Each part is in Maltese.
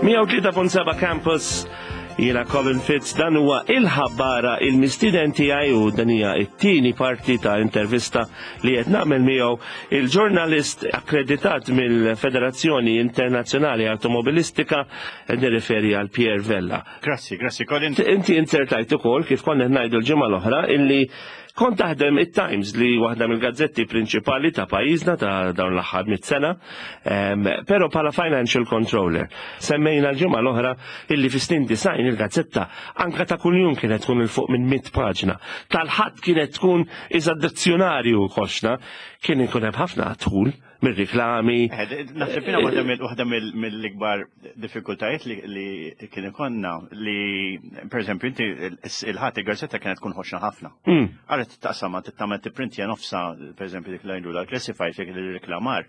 103.7 Campus Jiena Colin Fitz dan huwa il-ħabbara il-mistiden tiegħi u dan hija t-tieni parti ta' intervista li qed nagħmel miegħu il-ġurnalist akkreditat mill-Federazzjoni Internazzjonali Awtomobilistika qed nirriferi għal Pierre Vella. Grazzi, grazzi Colin. Inti insertajt ukoll kif konna qed ngħidu l-ġimgħa l-oħra illi Kont taħdem it-Times li waħda mill-gazzetti prinċipali ta' pajjiżna ta' dawn l-aħħar mit sena, però bħala financial controller. Semmejna l-ġimgħa l-oħra illi fi snin design il-gazzetta anka ta' kuljum kienet tkun il fuq minn mit paġna. Tal-ħadd kienet tkun iżda dizzjonarju koxna, kien ikun hemm ħafna tħul mir-riklami. Eh, naħseb jiena waħda mill-ikbar diffikultajiet li kien ikonna li pereżempju inti il-ħadd il-gazzetta kienet tkun ħoxna ħafna. Għaret taqsama tagħmel tipprintja nofsa pereżempju dik l-għajdu l-classified dik il-reklamar,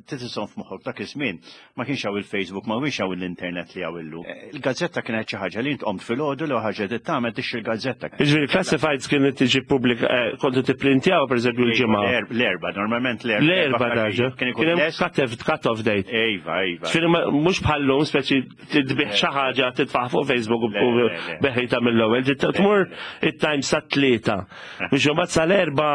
titisom f'moħħok dak iż-żmien ma kienx hawn il-Facebook, ma kienx hawn l-internet li hawn illum. Il-gazzetta kienet xi ħaġa li int qomt filgħodu li ħaġa li tagħmel tixtri l-gazzetta. Jiġifieri classifieds kienet tiġi pubblika eh, kontu tipprintjaw pereżempju l-ġimgħa. L-erba, normalment l-erba. L-erba daġa. Kien ikun cut off date. Iva, iva. Ġifieri mhux bħallum speċi tbih xi ħaġa titfa' fuq Facebook u beħita mill-ewwel. Tmur it-time sa tlieta. Biex imbagħad sal-erba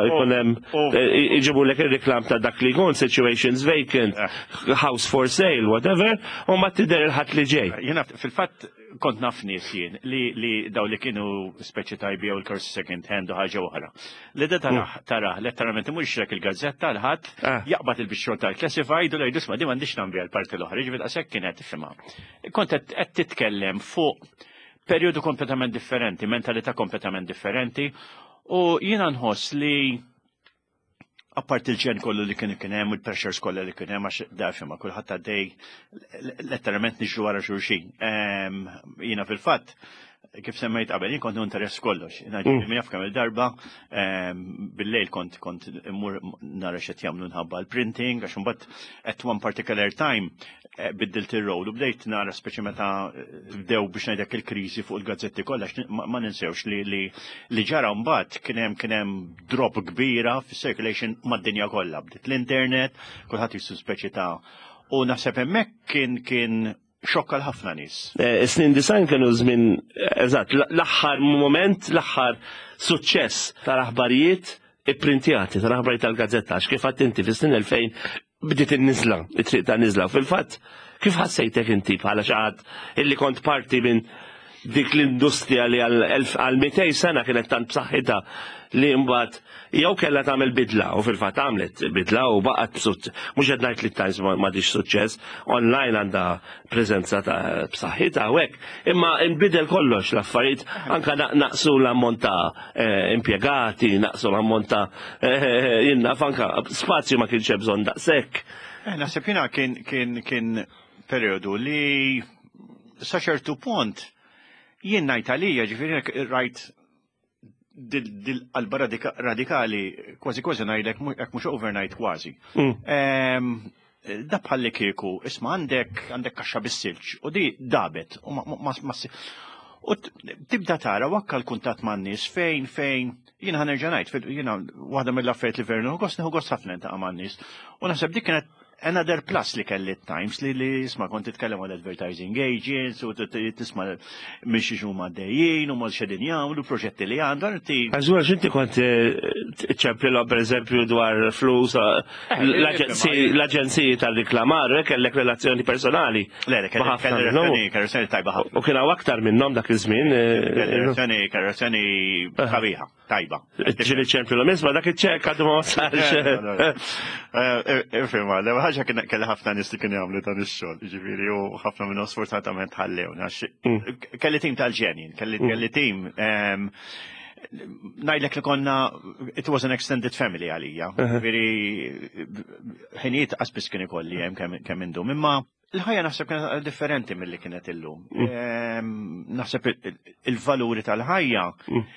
ikun hemm eh, iġibulek ir-reklam ta' dak li jkun situations vacant, eh. house for sale, whatever, u ma tidher il-ħadd li ġej. Jiena fil-fatt kont naf nies jien li li daw li kienu speċi tajbi jew il-karsi second hand u ħaġa oħra. Li da taraħ, mm. taraħ, letteralment imur xrek il-gazzetta l-ħadd, ah. jaqbad il-bixxol tal-classified u jgħidu isma' di m'għandix nagħmel l-parti l-oħra, ġifieri daqshekk kienet ifhimha. Kont qed titkellem fuq perjodu kompletament differenti, mentalità kompletament differenti u jiena nħoss li apart il-ġen kollu li kien kien hemm u l-pressures kollha li kien hemm għax dafja ma kulħadd għaddej letteralment niġru wara xulxin. Ehm, jiena fil-fatt kif semmejt qabel, jien kont interess kollox. Mm. Min jaf kemm il-darba, ehm, bil-lejl kont kont immur nara x'qed jagħmlu nħabba l-printing, għax imbagħad at one particular time eh, biddilt ir-rol u bdejt nara speċi meta eh, bdew biex ngħidlek il-kriżi fuq il-gazzetti kollha ma ninsewx li li li ġara mbagħad kien hemm kien hemm drop kbira fis-circulation mad-dinja kollha. Bdiet l-internet, kulħadd jissu speċi ta' u naħseb hemmhekk kien kien xokka l-ħafna nies. Eh, snin design kienu żmien eżatt, l-aħħar moment, l-aħħar suċċess tal-aħbarijiet ipprintjati tal-aħbarijiet tal-gazzetta, għax kif għadt inti fis-snin 2000 bdiet in-niżla, it-triq ta' niżla. Fil-fatt, kif ħassejtek inti bħala xi ħadd illi kont parti minn dik l-industrija li għal 200 sena kienet tant b'saħħitha li mbagħad jew kellha tagħmel bidla u fil-fatt għamlet bidla u baqgħet b'suċċess. Mhux qed ngħid li t-Times m'għadix suċċess, online għandha preżenza ta' b'saħħitha u hekk, imma nbidel kollox l-affarijiet anke naqsu l-ammont ta' eh, impjegati, naqsu l-ammont ta' eh, jinnaf anka spazju ma kienx hemm bżonn daqshekk. Eh, naħseb jiena kien kien kien periodu li sa ċertu punt jien ngħid għalija ġifieri rajt dil-qalba radikali kważi kważi ngħidlek hekk mhux overnight kważi. Mm. Ehm, da bħalli kieku, isma' għandek għandek kaxxa bis-silġ u di dabet u ma U tibda tara wakka l-kuntatt man nies fejn fejn jiena ħanerġa' ngħid jiena waħda mill-affarijiet li veru nieħu gost nieħu gost ħafna ntaqa' man-nies. U naħseb dik kienet Another plus li kelli Times li li isma' kont titkellem għal advertising agents u tisma' minn xi huma għaddejjin u mal xedin jagħmlu proġetti li għandhom inti. Għażura x'inti kont eh, ċemplilhom pereżempju dwar flus eh, eh, l-aġenziji tal-riklamar, kellek relazzjoni personali. Le, le, kellek relazzjoni tajba ħafna. U kien hawn aktar minnhom dak iż-żmien. Relazzjoni relazzjoni sabiħa. Tajba. Ġili ċempju l-misma, dak iċ-ċek għadu ma wasalx. Ifima, l ħaġa kien kelli ħafna nies li kienu jagħmlu dan ix-xogħol, jiġifieri u ħafna minnhom sfortunatament ħallew. Mm. Kelli tim tal-ġenjin, kelli mm. tim ehm, ngħidlek li konna it was an extended family għalija. Ġifieri ħinijiet qasbis kien ikolli hemm kemm indum. Imma Il-ħajja naħseb kienet differenti milli kienet illum. Mm. Ehm, naħseb il-valuri tal-ħajja mm.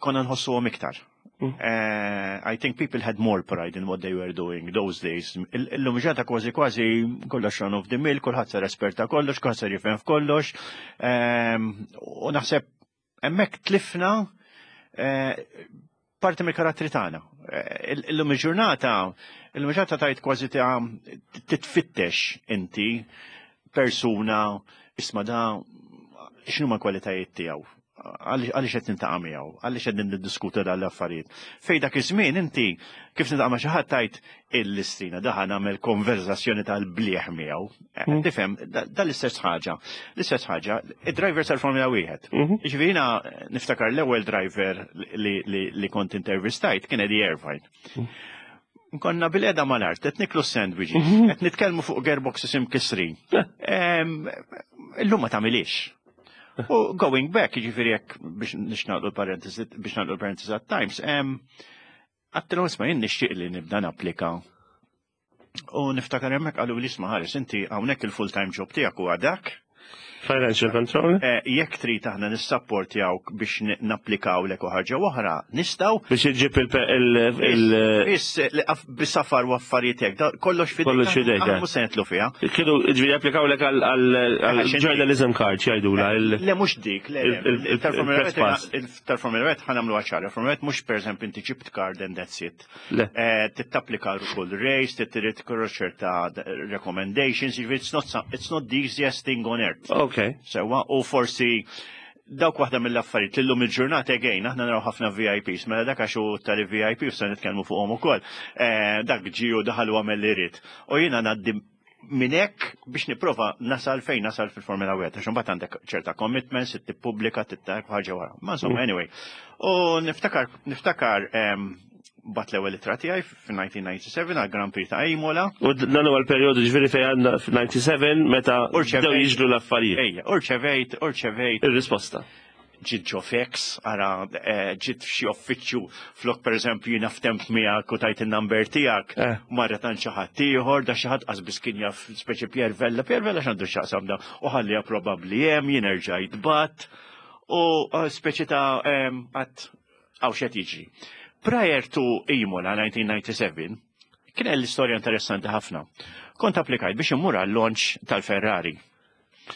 konna nħossuhom iktar. Mm. Eh, I think people had more pride in what they were doing those days. Illum ġata kważi kważi kollox run of the mill, kulħadd sar esperta kollox, kulħadd sar jifhem f'kollox. Ehm, u naħseb hemmhekk tlifna eh, parti mill-karattri tagħna. Eh, illum il-ġurnata, illum il-ġurnata tajt kważi ta' titfittex inti Persuna, isma' da x'inhuma l-kwalitajiet tiegħu, għaliex qed nintaqa' miegħu, għaliex qed niddiskutu dan l-affarijiet. Fej dak iż-żmien inti kif nintaqa' ma' xi ħadd tgħid il-listrina daħa nagħmel konverzazzjoni tal-bliħ miegħu. Eh, hmm. Tifhem, dan l-istess ħaġa. L-istess ħaġa, id-driver tal-Formula wieħed. Mhm. Jiġifieri jiena niftakar l-ewwel driver li kont intervistajt kien Eddie Irvine. Hmm. Konna bil-qeda mal-art, qed niklu sandwiches, mhm. qed nitkellmu fuq gearboxes imkissrin. Illum ma tagħmilix. U going back, jiġifieri jekk biex nixnaqdu l-parentesi, biex nagħlqu l-parentesi għat-Times, għattilhom isma' jien nixtieq li nibda napplika. U niftakar hemmhekk qalu li isma' ħares inti hawnhekk il-full-time job tiegħek huwa dak. Financial control? Eh, jekk trid aħna nissapportjawk biex napplikaw lek u ħaġa oħra, nistgħu. Biex iġġib il- Biss bisafar u affarijiet hekk, kollox fidejk. Kollox fidejk. Aħna mhux se nitlu fiha. Kienu ġifieri applikaw lek għal journalism card jgħidula. Le mhux dik, le. Tal-Formula 1 ħa nagħmlu ċara. Formula 1 mhux pereżempju inti ġibt card and that's it. Eh, Tittapplika kull race, trid ċerta recommendations, it's not, it's not the easiest thing on earth. Okay. Sewa, u forsi dawk waħda mill-affarijiet li llum il-ġurnata again, aħna naraw ħafna VIPs, mela dak għax hu tal-VIP u se nitkellmu fuqhom ukoll. Eh, dak ġie u daħal u għamel li jrid. U jiena ngħaddi minn hekk biex nipprova nasal fejn nasal fil-Formula 1, għax imbagħad għandek ċerta commitments, tippubblika, tittak ħaġa wara. Ma insomma, mm. anyway. U niftakar, niftakar bat l-ewwel ittra tiegħi f'1997 għal Grand Prix ta' Imola. U dan huwa l-perjodu ġifieri fejn għandna f'97 meta bdew jiġru l-affarijiet. Ejja, u rċevejt, u rċevejt. Ir-risposta ġiet ġo fax, ara eh, ġiet f'xi uffiċċju flok pereżempju jiena ftemp miegħek u tajt in-number tiegħek, eh. marret għand xi ħadd ieħor, da xi ħadd qas kien jaf speċi Pier Vella, Pier Vella x'għandu x'jaqsam da, u ħalliha probabbli hemm jien erġajt bat u eh, speċi ta' għat għaw xed jiġri. Prior to Imola 1997, kien l-istorja interessanti ħafna. Kont applikajt biex immur għal-launch tal-Ferrari.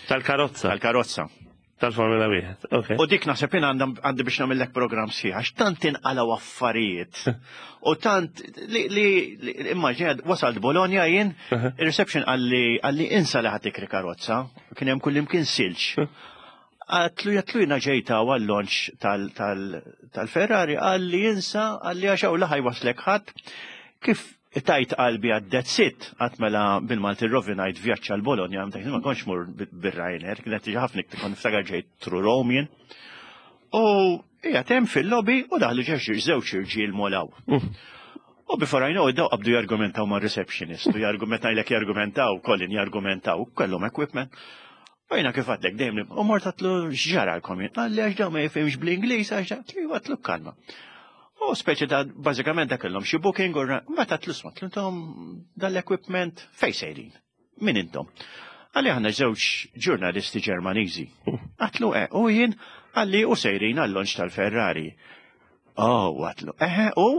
Tal-karozza. Tal-karozza. Tal-Formula 1, ok. U dik naħseb jien għandi biex nagħmellek programm sħiħ, għax tant inqalgħu affarijiet. U tant li li immaġina wasalt Bologna jien, il-reception qalli qalli insa li ħadd tikri karozza, kien hemm kullimkien silġ. Għatlu jatlu jina ġejta għal-launch tal-Ferrari, għalli jinsa, għalli għaxaw laħaj waslek ħadd. Kif tajt qalbi għad sit, għat mela bil-Malti rovinajt vjaċċ għal Bologna, għamta ma konx mur bil-Ryanair, kienet tiġi ħafna iktar niftakar ġejt through Rome jien. U hija tem fil-lobby u daħlu ġeġ żewġ irġiel molaw. Mm. U before I know it, daw qabdu jargumentaw ma' receptionist, u jargumentaw jargumentaw, Colin jargumentaw, kellhom equipment. U jiena kif għadlek dejjem li u mort għatlu x'ġaralkom jien. Qalli għax dawn ma jifhimx bl-Ingliż għax għatlu għatlu kalma. U speċi ta' bażikament dak kellhom xi booking u mbagħad għatlu sma' intom dal-equipment fejn sejrin. Min intom? Għalli aħna żewġ ġurnalisti Ġermaniżi. Għatlu e, u jien għalli u sejrin għall-launch tal-Ferrari. Oh, għatlu, eħe, u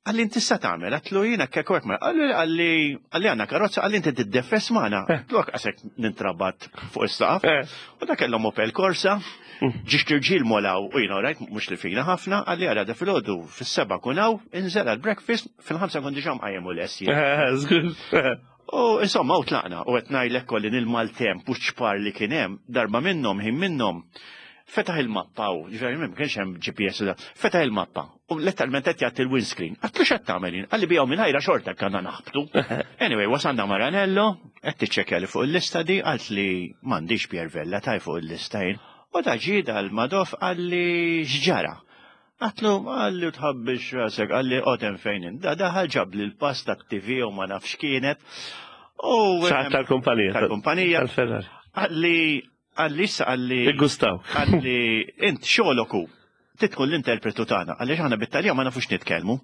Għalli inti sa tagħmel, għatlu jiena kek hekk ma għalli għalli għalli għandna karozza għalli inti tiddefes magħna. Eh. Għatlu hekk qasek nintrabat fuq is-saqaf. Eh. U dak kellhom Opel Corsa, mm. ġiex tirġiel molaw u jiena rajt mhux li fina ħafna, għalli għara da filgħodu fis-seba' kun hawn, inżel għall-breakfast, fil-ħamsa kont diġà mqajjem u les. Eh, u insomma u tlaqna u qed ngħidlek kolli nil-maltemp u ċpar li kien hemm, darba minnhom ħin minnhom fetaħ il-mappa u ġifieri ma kienx hemm GPS da, fetaħ il-mappa u letteralment qed jagħti l-windscreen. Għatlu x'qed tagħmel jien? Qalli biegħu mingħajra xorta kanna naħbtu. Anyway, wasalna Maranello, qed tiċċekkja li fuq il-lista di, qalt li m'għandix Pier Vella taj fuq il-lista jien. U ta' ġie dal-Madoff qalli x'ġara. Għatlu, għalli tħabbix rasek, għalli qotem fejn Da daħal ġab li l-pass ta' TV u ma nafx kienet. U tal-kumpanija. Tal-kumpanija. Tal-Ferrari. Għalli Għalli issa għalli. Iggustaw. Għalli int xogħlok hu. Titkun l-interpretu tagħna għaliex aħna bit-Taljan ma nafux nitkellmu.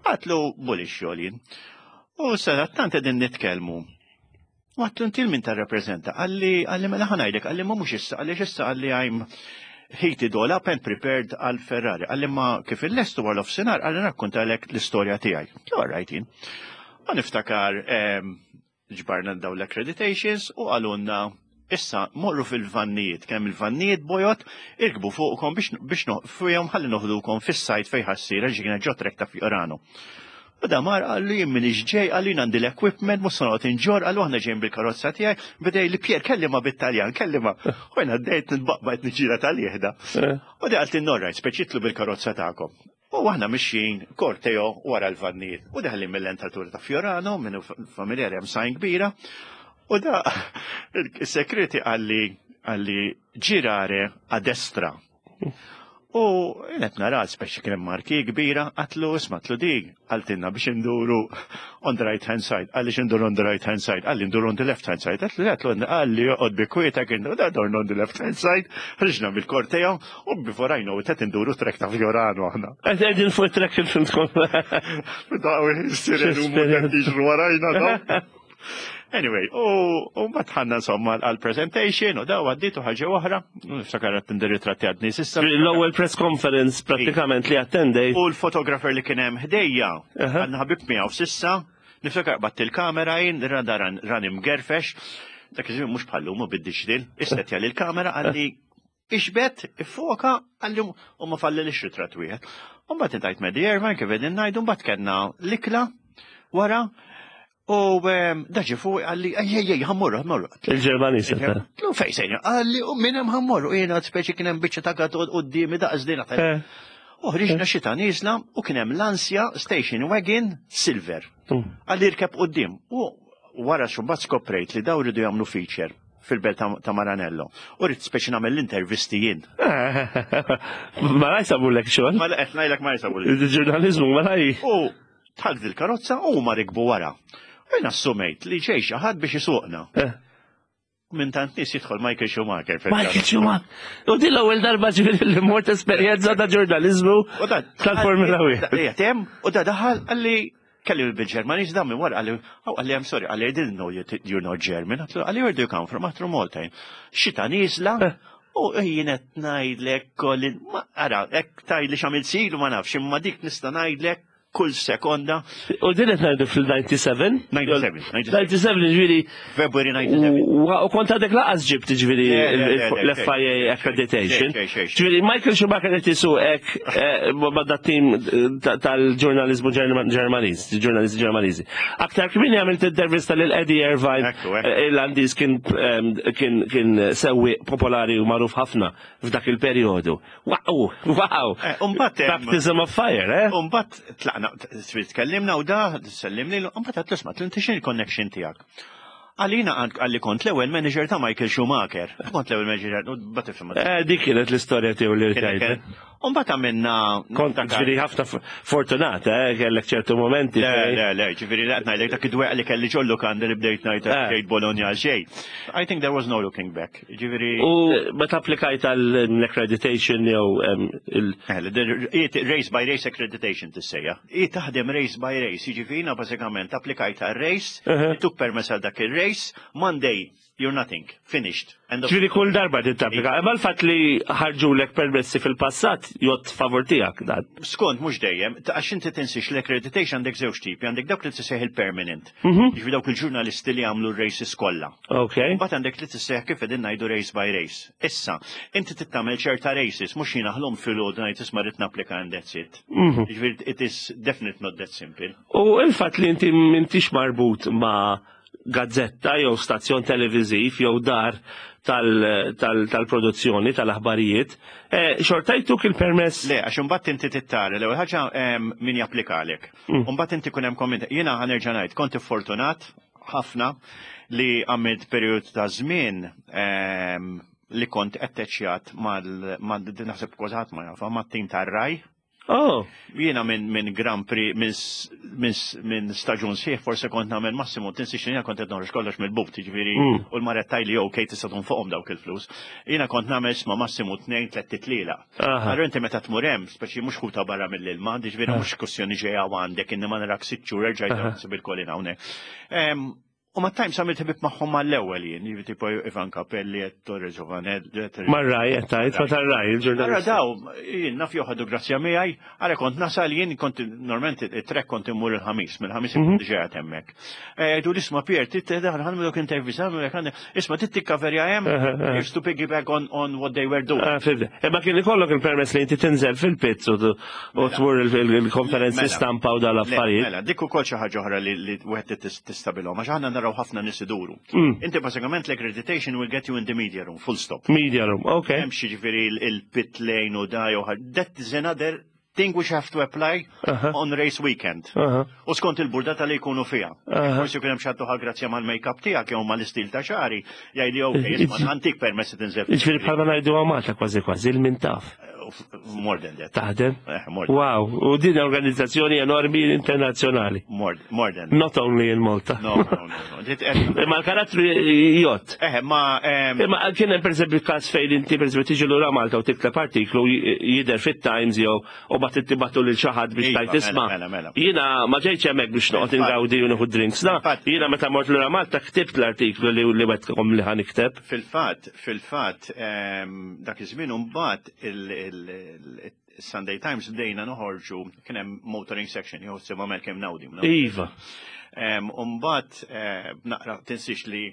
Għatlu bulli xogħol jien. U sadattant qegħdin nitkellmu. U għatlu inti min tarrappreżenta. Għalli għalli mela ħanajdek għalli ma mhux issa għaliex issa għalli I'm heated all up and prepared għal Ferrari. Għalli ma kif il-lestu għal offsinar għalli rakkontalek l-istorja tiegħi. All right jien. U niftakar ehm, Ġbarna dawn l-accreditations u qalulna issa morru fil-vannijiet, kemm il-vannijiet bojod, irkbu fuqkom biex biex fihom ħalli noħdukom fis-sajt fejn ħassir għax kienet ġo trek ta' Fiorano. U da mar qallu jien minix ġej, qallu jien għandi l-equipment, mhux se noqgħod inġorr, qallu aħna ġejjin bil-karozza tiegħi, beda li Pier kellima bit-Taljan, kellima. U jien għaddejt nitbaqbaq qed niġġieled għalih da. U di qaltli all right, speċi itlu bil-karozza tagħkom. U aħna mixjin korteo wara l-vannijiet. U deħlin mill-entratura ta' Fiorano, minnu familjari hemm sajn kbira. U da il-security qalli qalli girare a destra. U qed nara speċi kien hemm marki kbira, għatlu isma' tlu di, qaltilna biex induru on the right hand side, qalli x'induru on the right hand side, qalli nduru on the left hand side, għatlu għatlu qalli joqgħod bi kwieta kien da dorna on the left hand side, ħriġna mill-korteo u before I know it qed induru track ta' Fiorano aħna. Qed qegħdin fuq track il-filmkom. Daw is-sirenu jiġru warajna daw. Anyway, u mbagħad ħanna insomma għal-presentation u daw għaddiet u ħaġa oħra, niftakar qed tindir ritratti għadni s'issa. L-ewwel press conference prattikament li attendej. U l-photographer li kien hemm ħdejja, għandna ħabib miegħu s'issa, niftakar qbadt il-kamera jien, rada ran imgerfex, dak iż-żmien mhux bħallum u bid-digital, issetja lill-kamera qalli Ixbet, iffoka, għalli u ma fallilix ritratt wieħed. U mbagħad intajt Medi Irvine kif qegħdin ngħidu, mbagħad kellna l-ikla wara u ehm, daġi fuq għalli ej ej ej ħammorru ħammorru. Il-Ġermaniż. Lu fejn sejna, għalli u minn hemm ħammorru jiena speċi kien hemm biċċa ta' għad quddiemi daqs din. Eh. U ħriġna xita nieżla u kien hemm Lancia Station Wagon Silver. Mm. Għalli rkeb quddiem. U wara xumbat skoprejt li daw ridu jagħmlu feature fil-belt ta' Maranello. U rrid speċi nagħmel l-intervisti jien. Ma la jsabulek xogħol. Ma qed ngħidlek ma jsabulek. Il-ġurnaliżmu ma la U tħalt il-karozza u ma rikbu wara. U jien assumejt li ġej xi ħadd biex isuqna. Eh. Minn tant nies jidħol Michael Schumacher. Michael Schumacher. U din l-ewwel darba ġifieri li mort esperjenza ta' ġurnaliżmu tal-Formula 1. U da daħal qalli Kelli bil-Ġermaniż dan minn wara qalli, oh, qalli I'm sorry, qalli I didn't know you, you're not German. Għatlu, qalli where do you come from? Għatlu Malta. Xita nieżla, eh. u jien qed ngħidlek kolli, ma ara, hekk tgħidli x'għamilt silu ma nafx, imma dik nista' ngħidlek kull sekonda. U din qed ngħidu fil-97? 97. 97 ġifieri. February 97. U kont għadek laqas ġibt ġifieri l-FIA accreditation. Ġifieri Michael Schumacher qed isuq hekk eh, ma' dat tim eh, tal-ġurnaliżmu Ġermaniż, ġurnalisti Ġermaniżi. Aktar kmieni għamilt intervista lil Eddie Irvine, eh, Irlandiż kien kien sewwieq popolari u magħruf ħafna f'dak il-perjodu. Wow, wow. Baptism of fire, eh? Umbat tlaqna, tkellimna u da, sellimni, umbat għatlu sma, inti x'in il-connection tiegħek? Għalina għalli kont l-ewwel manager ta' Michael Schumacher. Kont l-ewwel manager, u bat tifhem. Eh, dik kienet l-istorja tiegħu li rtajt. Umbat għamilna. Kont ġifieri ħafna fortunata, eh, kellek ċertu momenti. Le, le, le, ġifieri laqt ngħidlek dak id-dweq li kelli ġollu kandi li bdejt ngħid eh. ġejt Bologna għal xejn. I think there was no looking back. Ġifieri. U meta applikajt għall-accreditation jew il. Eh, race by race accreditation tissejja. Hi taħdem race by race, jiġifieri jiena bażikament applikajt għal race, tuk permess għal dak ir-race, Monday you're nothing, finished. Ġifieri kull darba trid tapplika. Imma l-fatt li ħarġulek permessi fil-passat jgħodd favur tiegħek dan. Skont mhux dejjem, għax inti tinsiex l-accreditation għandek żewġ tipi, għandek dawk li tissejjaħ il-permanent. Mhm. Jiġifieri dawk il-ġurnalisti li jagħmlu r-races kollha. Ok. Mbagħad għandek li tissejjaħ kif qegħdin ngħidu race by race. Issa, inti trid tagħmel ċerta races, mhux jiena ħlom filgħodu ngħid isma' rrid napplika and that's it. Mhm. Jiġifieri it is definitely not that simple. U il-fatt li inti m'intix marbut ma' gazzetta jew stazzjon televiżiv jew dar tal-produzzjoni tal-aħbarijiet, eh, xorta jtuk il-permess. Le, għax imbagħad inti tittara l-ewwel ħaġa min japplikalek. Mm. Imbagħad inti kun hemm komment. Jiena ħanerġa' ngħid, kont iffortunat ħafna li għamilt perjodu ta' żmien li kont atteċjat mal naħseb kważi ħadd ma jafa mat-tim tar-raj. Oh. Jiena minn min Grand Prix minn min, min staġun sħiħ forse kont nagħmel massimu tinsiex li jiena kont qed noħroġ kollox mill-but, jiġifieri mm. u l-marettaj li ok tista' fuqhom dawk il-flus. Jiena kont nagħmel sma massimu tnejn tliet titliela. Allura inti meta tmur hemm, speċi mhux ħuta barra mill-ilma, jiġifieri mhux kwestjoni ġejja għandek inni ma narak sitt xhur erġa' nsib il-kolin hawnhekk. U ma Times għamilt ħbib magħhom mal-ewwel jien, jiġifieri tipo Ivan Capelli, Ettore Giovanelli. Mar-Rai, qed tgħid, ma tar-Rai, il-ġurnalist. Ara daw, jien naf joħdu grazzja miegħi, ara kont nasal jien kont normalment it-trek kont immur il-ħamis, mill-ħamis mhm. kont ġejja hemmhekk. Eh, jgħidu l-isma Pier, tittedaħ ħanmilok intervista, isma tittikkaverja hemm, just to piggyback on, on what they were doing. Ah, Imma kien ikollok il-permess li inti tinżel fil-pizz u mela. tmur il-konferenzi mela. stampa u dal-affarijiet. Mela, dik ukoll xi ħaġa oħra li wieħed tistabilhom, għax aħna naraw ħafna nies iduru. Mm. Inti bażikament l-accreditation will get you in the media room, full stop. Media room, ok. Hemm xi ġifieri il-pit lane u da jew that is another thing which have to apply uh -huh. on race weekend. Uh -huh. U skont il-burdata li jkunu fija. Uh -huh. Forsi jkun hemm xi ħadd grazzja mal-make-up tiegħek jew mal-istil ta' xari, jgħidli ok, isma' antik permess tinżel. Jiġifieri bħalma ngħidu Malta kważi kważi il-min taf. More than that. Taħdem? Eh, more than wow, u din organizzazzjoni enormi internazzjonali. More, more than. Not only in Malta. No, no, no. no. Eh, Imma l-karattru jott. Eh, ma. Imma kien hemm pereżempju każ fejn inti pereżempju tiġi lura Malta u tikteb artiklu jidher fit-Times jew u bat tibatu lil xi ħadd biex tajt mela, isma'. Mela, mela. Jiena ma ġejtx hemmhekk biex noqgħod ingawdi u nieħu drinks. Na, jiena meta mort lura Malta ktibt l-artiklu li wetkom li ħanikteb. Fil-fatt, fil-fatt, dak iż-żmien imbagħad il-Sunday Times bdejna noħorġu kien hemm motoring section jew sibha kemm nawdi. Iva. Umbagħad eh, naqra tinsiex li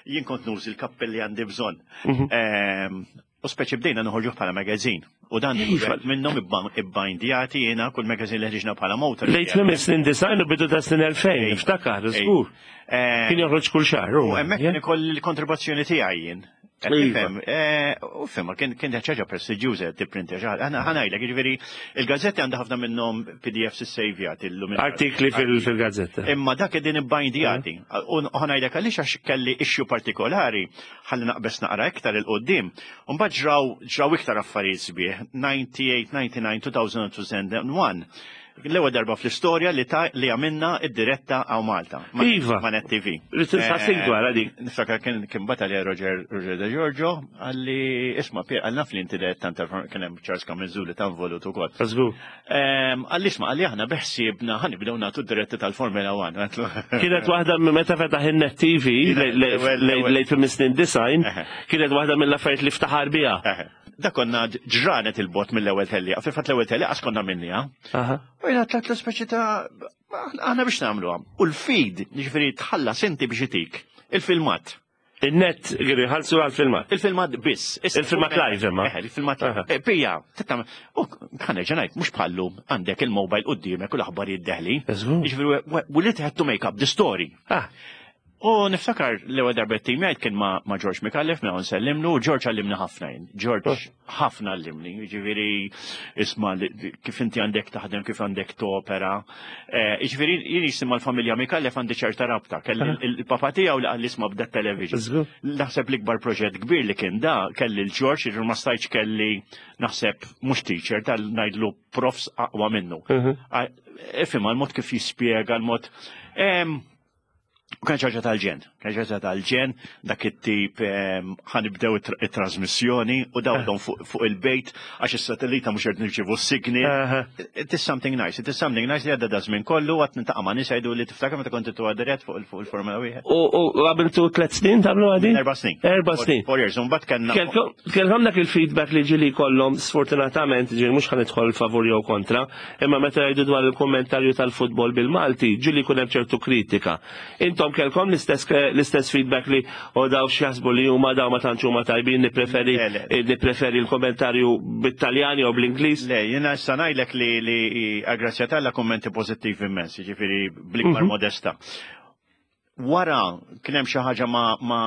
jien kont nużi l-kappelli għandi bżonn. Mhm. U speċi bdejna noħorġu bħala magazine. U dan iva. minnhom ibbindjati jiena kull magazine li ħriġna bħala motor. Lejt minn snin design u bidu ta' snin 2000, niftakar, żgur. Eh, Kien joħroġ kull xahar. U hemmhekk kien ikoll il-kontribuzzjoni tiegħi jien. Iva. Eh, u fimma, kien ħaġa prestiġjuża tipprintja xi ħaġa. Ħanajlek, jiġifieri il-gazzetti għandha ħafna minnhom PDFs issejvjat illum. Artikli fil-gazzetta. Imma dak qegħdin ibbindjati. U ħanajlek għaliex għax kelli issue partikolari ħalli naqbeż naqra iktar 'il quddiem. U mbagħad ġraw ġraw iktar affarijiet sbieħ, 98, 99, 2000 2001. L-ewwel darba fl-istorja li ta' li għamilna id-diretta għaw Malta. Iva. Ma' Net TV. Rrid insaqsik dwar dik. Niftakar kien kien batalja Roger Roger De Giorgio għalli isma' Pier għal naf li inti dirett tant kien hemm Charles Camenzuli ta' involut ukoll. Żgur. Għalli isma' għalli aħna beħsiebna ħanibdew nagħtu d-diretti tal-Formula 1. Kienet waħda minn meta fetaħ in-Net TV lejt fil-snin design, kienet waħda mill-affarijiet li ftaħar biha. Da konna ġranet il-bot mill-ewwel tellieqa, fil-fatt l-ewwel tellieqa konna minnija. U jiena tlat l-speċi ta' aħna biex nagħmluha. U l-feed, jiġifieri tħallas inti biex itik il-filmat. Il-net kienu jħallsu għal-filmat. Il-filmat biss. Il-filmat live imma. Eh, il-filmat live. Eh, pija, tittam, u ħana ġenajt, mux bħallu għandek il-mobile qudiemek u l-aħbarijiet deħli. Jiġifieri, we li had to make up the story. Ah. U niftakar l-ewwel darba t-tim jgħid kien ma' George Mikallef minn hawn sellimlu, u George għallimni ħafna jien. George oh. ħafna għallimni, jiġifieri isma' kif inti għandek taħdem, kif għandek topera. Eh, jiġifieri jien jisimha l-familja Mikallef għandi ċerta rabta, kelli ah. il-papa tiegħu li qal isma' bda television. Naħseb l-ikbar proġett kbir li kien da kelli l-George, jiġifieri ma stajtx kelli naħseb mhux teacher tal ngħidlu profs aqwa minnu. Mhm. Ifhem l-mod kif jispjega l-mod. U kien ċaġa tal-ġen, kien ċaġa tal-ġen, dak it-tip ehm, ħanibdew it-trasmissjoni u dawlhom fuq il-bejt għax is-satellita mhux qed nirċievu s-signal. It is something nice, it is something nice li għadda da żmien kollu għad nintaqa' ma' nies jgħidu li tiftakar meta kont intu dirett fuq il-Formula wieħed. U għamiltu tliet snin tagħmlu għadi? Erba' snin. Erba' snin. Four years, u mbagħad kellna. Kellhom dak il-feedback li ġieli kollhom sfortunatament ġieli mhux ħanidħol favur jew kontra, Imma meta jgħidu dwar il-kummentarju tal-futbol bil-Malti, ġieli jkun hemm ċertu kritika. Intom kellkom l-istess l-istess feedback li o daw x'jaħsbu li huma daw ma tantx huma tajbin nippreferi nippreferi l-kummentarju bit-Taljan jew bl-Ingliż? Le, jiena issa ngħidlek li li għall-grazzja t'Alla kummenti pożittivi immens, jiġifieri bl-ikbar mhm. modesta. Wara kien hemm xi ħaġa ma', ma,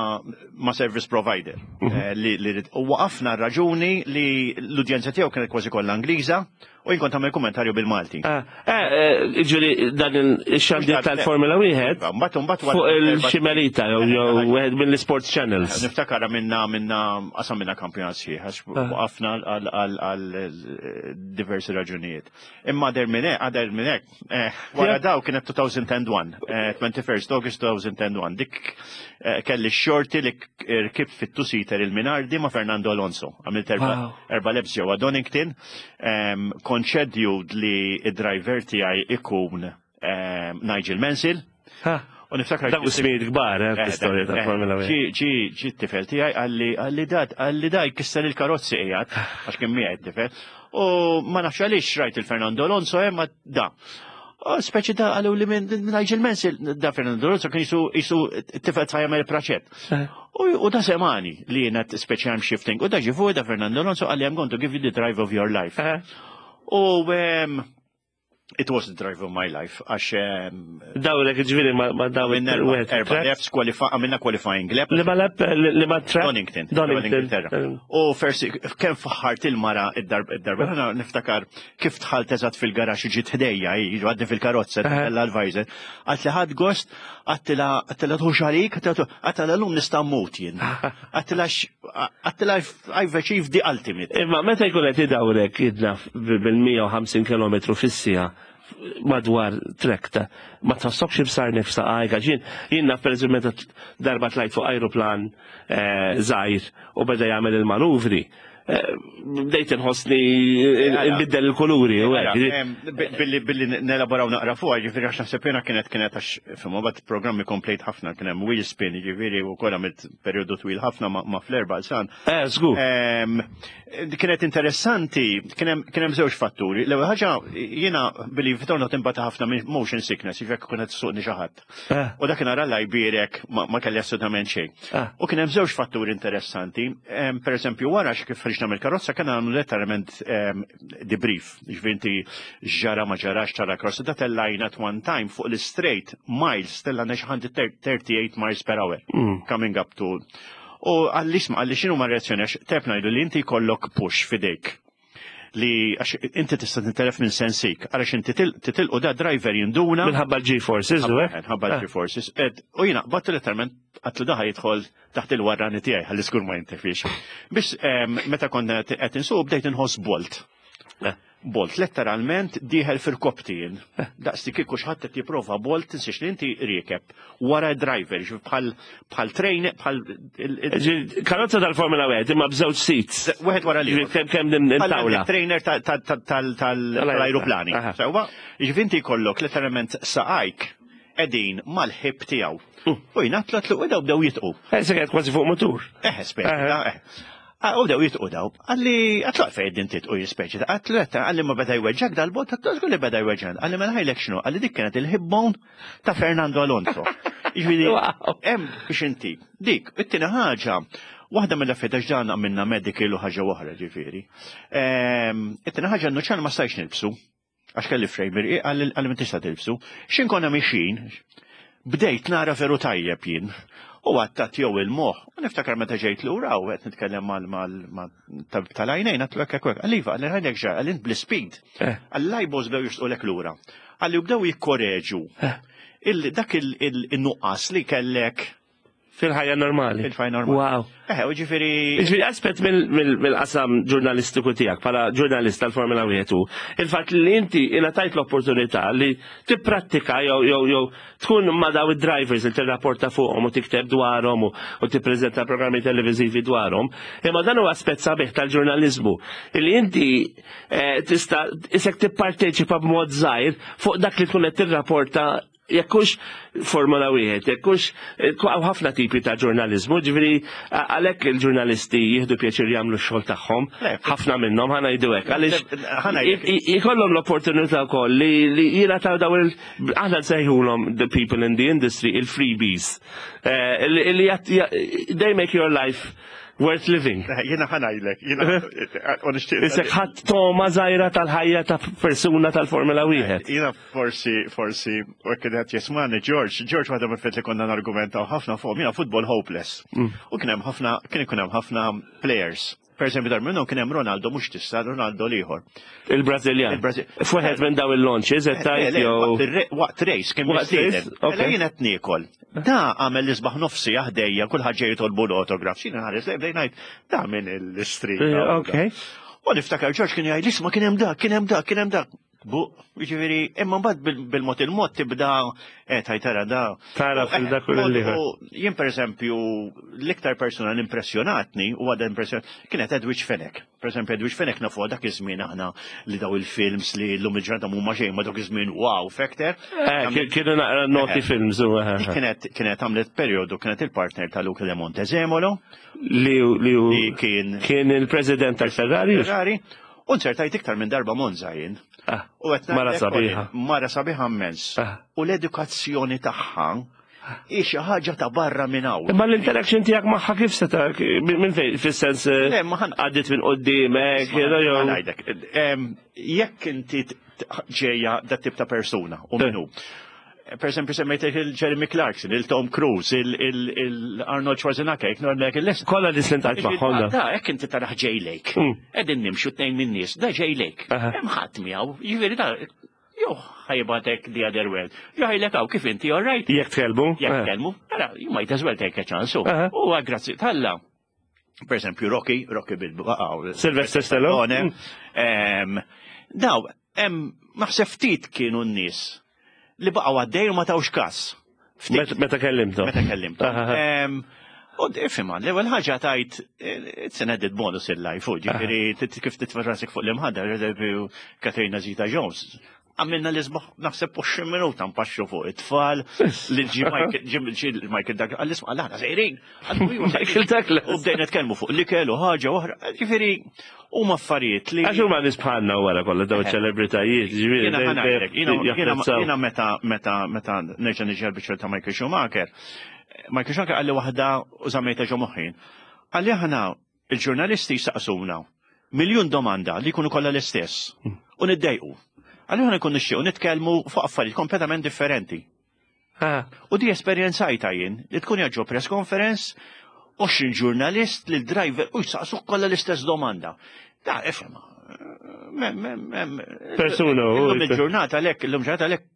ma service provider mm -hmm. li, li u waqafna raġuni li l-udjenza tiegħu kienet kważi kollha Ingliża u jien kont tagħmel kummentarju bil-Malti. Eh, eh, ġieli dan il-xandir tal-Formula wieħed fuq il-ximerita jew wieħed mill-sports channels. Niftakar minna minna qasam minna kampjonat sħiħ għax waqafna għal diversi raġunijiet. Imma der minn hekk, għader minn hekk, eh, wara daw kienet 2001, 21st eh, August 2001, dik eh, kelli xorti li rkibt fit-two-seater il-Minardi ma' Fernando Alonso. Għamilt erba laps ġewwa Donington, ehm, konċedju li id-driver tiegħi ikun ehm, Nigel Mansell. U niftakar. Dak ismijiet kbar, eh, fl-istorja tal-Formula 1. Ġi ġi ġi t-tifel tiegħi qalli qalli dad qalli da jkisser il-karozzi qiegħed għax kien miegħi t-tifel. U ma nafx għaliex rajt il-Fernando Alonso hemm ma da. U speċi da qalu li minn Nigel Mansell da Fernando Alonso kien jisu jisu t-tifel ta' jagħmel praċett. U da semani li jiena speċi I'm shifting. U da ġi fuq da Fernando Alonso qalli I'm going to give you the drive of your life. U It was the drive of my life, għax. Dawlek ġviri ma daw erba laps, għamilna qualifying lap. Li ma lap, li ma track? Donington. Donington. U fersi, kem faħħart il-mara id-darba, id-darba, għana niftakar kif tħalt eżat fil-garax ġiet ħdejja, għadni fil-karozza, l-advisor. Għat li ħad gost, għattila għattila tħux għalik, għattila l-lum nista' mmut jien. Għattila għattila I've achieved the ultimate. Imma meta jkun qed idawrek jidnaf bil-150 km fis-siegħa madwar trek ta' ma tħossokx ibsar nifsa għajka ġin jien naf pereżempju meta darba tlajt fuq ajruplan eh, żgħir u beda jagħmel il-manuvri eh, bdejt inħossni nbiddel il-kuluri u hekk. Billi billi nelaboraw naqra fuq, ġifieri għax naħseb jiena kienet kienet għax fimma bat programmi komplejt ħafna kien hemm wheel spin, ġifieri u wkoll għamilt perjodu twil ħafna ma' fl-erba' san. Eh, żgur. Kienet interessanti, kien hemm żewġ fatturi. L-ewwel ħaġa jiena billi fitorna timbata ħafna minn motion sickness, jiġifieri jekk kienet suqni xi ħadd. Eh. U dak nara la jbierek ma kelli assolutament xejn. Eh. U kien hemm żewġ fatturi interessanti. Per eżempju, wara kif ħriġna mill-karozza kien għamlu letteralment debrief. Ġifieri inti ġara ma ġarax tara karozza da tellajna at one time fuq l-straight miles tellajna xi 138 miles per hour. Coming up to. U għalli isma' għalli x'inhu ma reazzjoni għax tef ngħidu li inti jkollok push fidejk li għax inti tista' tintelef minn sensik, għaliex inti titilqu da driver jinduna. Minħabba l-G-forces, u hekk? Minħabba l-G-forces. U jiena qbadt letteralment għatlu daħ jidħol taħt il-warrani tiegħi ħalli żgur ma jintefix. Biex meta konna qed insuq bdejt inħoss bolt. Eh. Bolt letteralment dieħel fil-kopti jien. Eh. Daqs li kieku xi ħadd qed jipprova bolt tinsiex li inti riekeb wara driver, bħal bħal train, bħal. Karozza tal-Formula 1 imma b'żewġ seats. Wieħed wara li. Kemm kemm din tawla. Trainer tal-ajruplani. Sewwa, jiġifieri inti jkollok letteralment saqajk qegħdin mal-ħib tiegħu. U jingħatlu għatlu u daw bdew jitqu. Eh, se kważi fuq motur. Eh, speċi, eh. Ah, u bdew jitqu daw. Għalli, għatlu għalfej din titqu jispeċi. Għatlu għatta, għalli ma beda jweġġak dal-bot, għatlu żgur li beda jweġġan. Għalli mela ħajlek xnu, għalli dik kienet il-hip bone ta' Fernando Alonso. Jiġifieri, hemm biex inti. Dik, it-tieni ħaġa, waħda mill-affarijiet għax dan għamilna medical u ħaġa oħra ġifieri. Ehm, it-tieni ħaġa n-nuċċal ma stajx nilbsu. Għax kelli frame irqiq għalli ma tista' tilbsu. X'in konna mixin, bdejt nara veru tajjeb jien. U għattat jew il-moħ. U niftakar meta ġejt lura u qed nitkellem mal tal-għajnejn għatlu hekk hekk. Għalli iva, għalli għajnek ġar, għalli bl-speed. Eh. Għall-eyeballs bdew jisqulek lura. Għalli bdew jikkoreġu. Eh. Dak il-nuqqas li kellek Fil-ħajja normali. Fil-ħajja normali. Wow. Eh, u ġifieri. Ġifieri aspett mill-qasam ġurnalistiku tiegħek bħala ġurnalist tal-Formula 1 hu il-fatt li inti ingħatajt l-opportunità li tipprattika jew jew jew tkun ma' daw id-drivers li tirrapporta fuqhom u tikteb dwarhom u tippreżenta programmi televiżivi dwarhom. Imma dan huwa aspett sabiħ tal-ġurnaliżmu li inti eh, tista' isek tipparteċipa b'mod żgħir fuq dak li tkun qed tirrapporta jekk hux Formula wieħed, jekk hux eh, hawn ħafna tipi ta' ġurnaliżmu, ġifieri għalhekk il-ġurnalisti jieħdu pjaċir jagħmlu x-xogħol tagħhom, ħafna minnhom ħa ngħidu hekk, għaliex jkollhom l-opportunità wkoll li jingħataw daw il aħna nsejħulhom the people in the industry il-freebies. Eh, li they make your life worth living. Eh, jiena ħanajlek, jiena u nixtieq. Isek ħadd toma żgħira tal-ħajja ta' persuna tal-Formula wieħed. Jiena forsi, forsi, u hekk qed jismani George, George waħda mill li konna nargumentaw ħafna fuq, jiena football hopeless. U kien hemm ħafna, kien ikun hemm ħafna players. Per eżempju, dar minnhom kien hemm Ronaldo mhux tista' Ronaldo l-ieħor. Il-Brażiljan. F'wieħed minn daw il-launches qed tgħid jew. Waqt race kien waqt race. Mela jien qed niekol. Da għamel l-isbaħ nofsi ħdejja kulħadd ġej jitolbu l-autograph. X'in ħares lejn bdejn ngħid da minn il-street. Eh, ok. U niftakar George kien jgħid isma' kien hemm dak, kien hemm dak, kien hemm dak. Bu, ġifieri, imma mbagħad bil-mod il-mod tibda eh tajtara da. Tara fil-dak u l-ieħor. Jien pereżempju l-iktar persuna li impressjonatni u għadha impressjonat kienet Edwidge Fenech. Pereżempju Edwidge Fenech nafu dak iż-żmien aħna li daw il-films li llum il-ġurnata mhuma xejn ma dak iż-żmien wow factor. Eh, kienu naqra noti eh. films u eh. Kienet kienet għamlet perjodu kienet il-partner ta' Luca de Montezemolo. Li li kien kien il-president tal-Ferrari. Ferrari. U nzertajt iktar minn darba Monza jien. Ah, u qed mara sabiħa. Mara sabiħa immens. Ah. U l-edukazzjoni tagħha hi xi ħaġa ta' barra minn hawn. Imma l-interaction tiegħek magħha kif se ta' minn fejn fis-sens eh, għaddit minn quddiemek, ngħidlek. Jekk inti ġejja dat tip ta' persuna u minnu. Per esempio, semmejtek il-Jeremy Clarkson, il-Tom Cruise, il-Arnold Schwarzenegger, jek normek il-lest. Kolla li slintajt magħhom. Da, jekk inti taraħ ġej lejk. Qegħdin nimxu tnejn minn nies, da ġej lejk. Hemm ħadd miegħu, jiġifieri da jew ħajbatek the other world. Jew ħajlek hawn kif inti all right. Jekk tkellmu. Jekk eh. tkellmu, ara, you might as well take a chance. U grazzi talla. Per esempio, Rocky, Rocky bil Sylvester Stallone. Mm. Daw, hemm naħseb ftit kienu n-nies li baqgħu għaddej u ma tawx kas. Meta kellimtu. Meta kellimtu. U ifhimha, l-ewwel ħaġa tajt it's an added bonus in life, u ġifieri kif titfa' rasek fuq l-imħadda, eżempju Katrina Zita Jones. Għamilna l isbaħ naħseb 20 minuta npaxxu fuq it-tfal, li ġi Michael Douglas, għall-isma' għal aħna sejrin. Michael Douglas. U bdejna nitkellmu fuq l-ikel u ħaġa oħra, ġifieri huma affarijiet li. Għax huma nies bħalna wara kollha dawn eh. ċelebritajiet, ġifieri. Jiena meta meta meta nerġa' niġi għall-biċċa ta' Michael Schumacher, Michael Schumacher qalli waħda u żammejtha ġo moħħi. Qalli aħna il-ġurnalisti jsaqsuna miljun domanda li jkunu kollha l-istess u niddejqu. Qalli aħna nkun nixtiequ nitkellmu fuq affarijiet kompletament differenti. Ah. U di esperjenzajta jien li tkun ġo press conference 20 ġurnalist li driver u jsaqsuk kollha l-istess domanda. Da, ifhem. Persuna. Illum il-ġurnata lek, illum ġurnata lek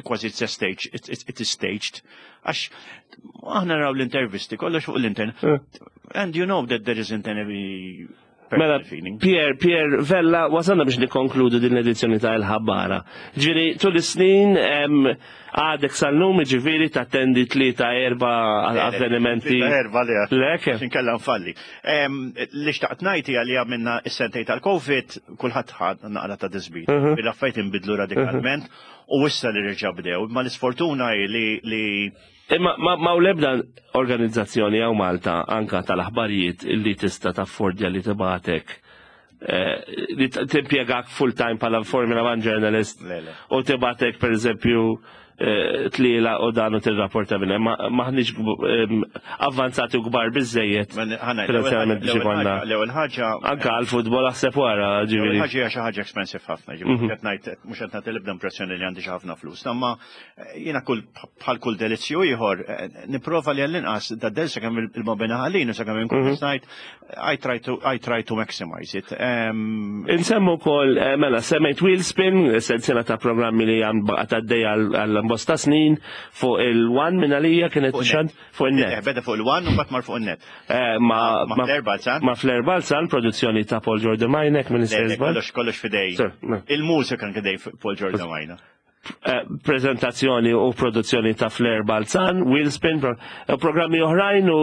kważi it's a stage, it is staged. Għax aħna naraw l-intervisti, kollox fuq l-internet. Eh. And you know that there isn't any Mela, Pier, Pier Vella, wasanna biex nikonkludu din l-edizzjoni ta' il-ħabbara. Ġiri, tul is-snin għadek sal-lum ġifiri tattendi tlieta erba avvenimenti. Erba le. Lek. Inkella nfalli. Li xtaqt ngħid hija li għamilna s-sentej tal-Covid, kulħadd ħad naqra ta' disbit. Il-affarijiet inbidlu radikalment u issa li reġa' bdew. Ma l-isfortuna hi li Imma ma u lebda organizzazzjoni hawn Malta anka tal-aħbarijiet li tista' taffordja li tibatek eh, li timpjegak full time bħala Formula One journalist u tibatek per eżempju eh, tliela u dan u tirrapporta minn hemm. Maħniex avvanzati u kbar biżejjed finanzjarjament biex ikollna. L-ewwel ħaġa. Anka għall-futbol aħseb wara ġifieri. Ħaġa hija xi ħaġa expensive ħafna, ġifieri mhm. qed ngħid mhux qed nagħti l-ebda impressjoni li għandi xi ħafna flus. Imma eh, jiena kull bħal kull delizzju ieħor eh, nipprova li għall-inqas da del sakemm il-mobina ħallin u sakemm inkun mhm. ngħid I try to, I try to maximize it. Um, Insemmu kol, eh, mela, semmejt Wheelspin, sensiela ta' programmi li għam baqat għaddej għal-bosta snin, fuq il-one minn għalija kienet xan fuq il-net. Eh, beda fuq il-one u bat mar fuq il-net. Eh, ma, ma Flair Balzan. Ma Flair Balzan, produzzjoni ta' Paul Jordan Majnek, minn Kollox, kollox fidej. Il-mużika anke Paul Jordan Majnek. Eh, prezentazzjoni u produzzjoni ta' Flair Balzan, Wheelspin, eh, programmi oħrajn u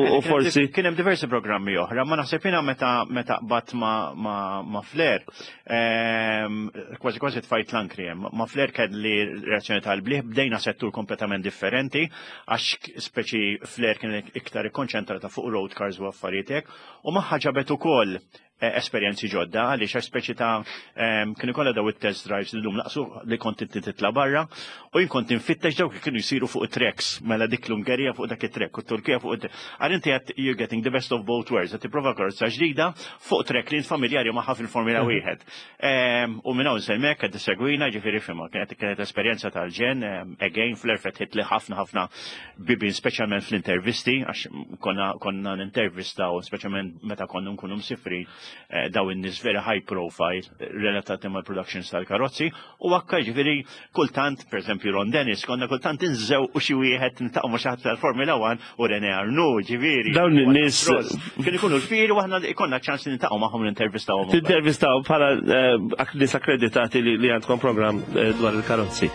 eh, forsi. Kien hemm diversi programmi oħra, ma naħseb jiena meta meta qbatt ma, ma, ma Flair, ehm, kważi kważi tfajt l-ankri hemm. Ma Flair kelli reazzjoni tal-bliħ, bdejna settur kompletament differenti, għax speċi Flair kien iktar ikkonċentrata fuq road cars u affarijiet hekk, u magħha ġabet ukoll Eh, esperjenzi ġodda għaliex għax speċi ta' ehm, kienu kollha daw it-test drives li lum laqsu li kont inti titla' barra u jien kont infittex dawk li kienu jsiru fuq it-tracks mela dik l-Ungerija fuq dak it-track u t-Turkija fuq it Għal inti qed you're getting the best of both worlds qed tipprova karozza ġdida fuq track li familjari magħha fil-Formula mhm. wieħed. Ehm, u minn hawn semmek qed tissegwina ġifieri fimha kienet kienet esperjenza tal-ġen ehm, again fl-erfet hitli ħafna ħafna bibien speċjalment fl-intervisti għax konna konna nintervistaw speċjalment meta konna nkunu msifrin. eh, daw in-nies very high profile relatati mal-productions tal-karozzi u akka ġifieri kultant, pereżempju Ron Dennis, konna kultant inżew u xi wieħed niltaqgħu ma' xi ħadd tal-Formula 1 u René Arnoux, ġifieri. Dawn in-nies kienu jkunu l-fieri u aħna ikollna ċans li niltaqgħu magħhom nintervistawhom. Tintervistaw bħala eh, nies akkreditati li għandkom programm eh, dwar il-karozzi.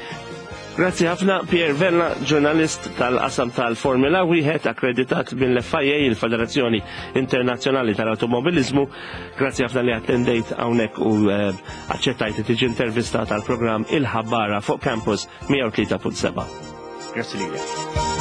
Grazzi ħafna Pierre Vella, ġurnalist tal-qasam tal-Formula wieħed akkreditat mill-FIA, il-Federazzjoni Internazzjonali tal-Automobilizmu. Grazzi ħafna li attendejt hawnhekk u eh, aċċettajt li tiġi intervistat għal programm Il-Ħabbara fuq Campus 103.7. Grazzi lilek.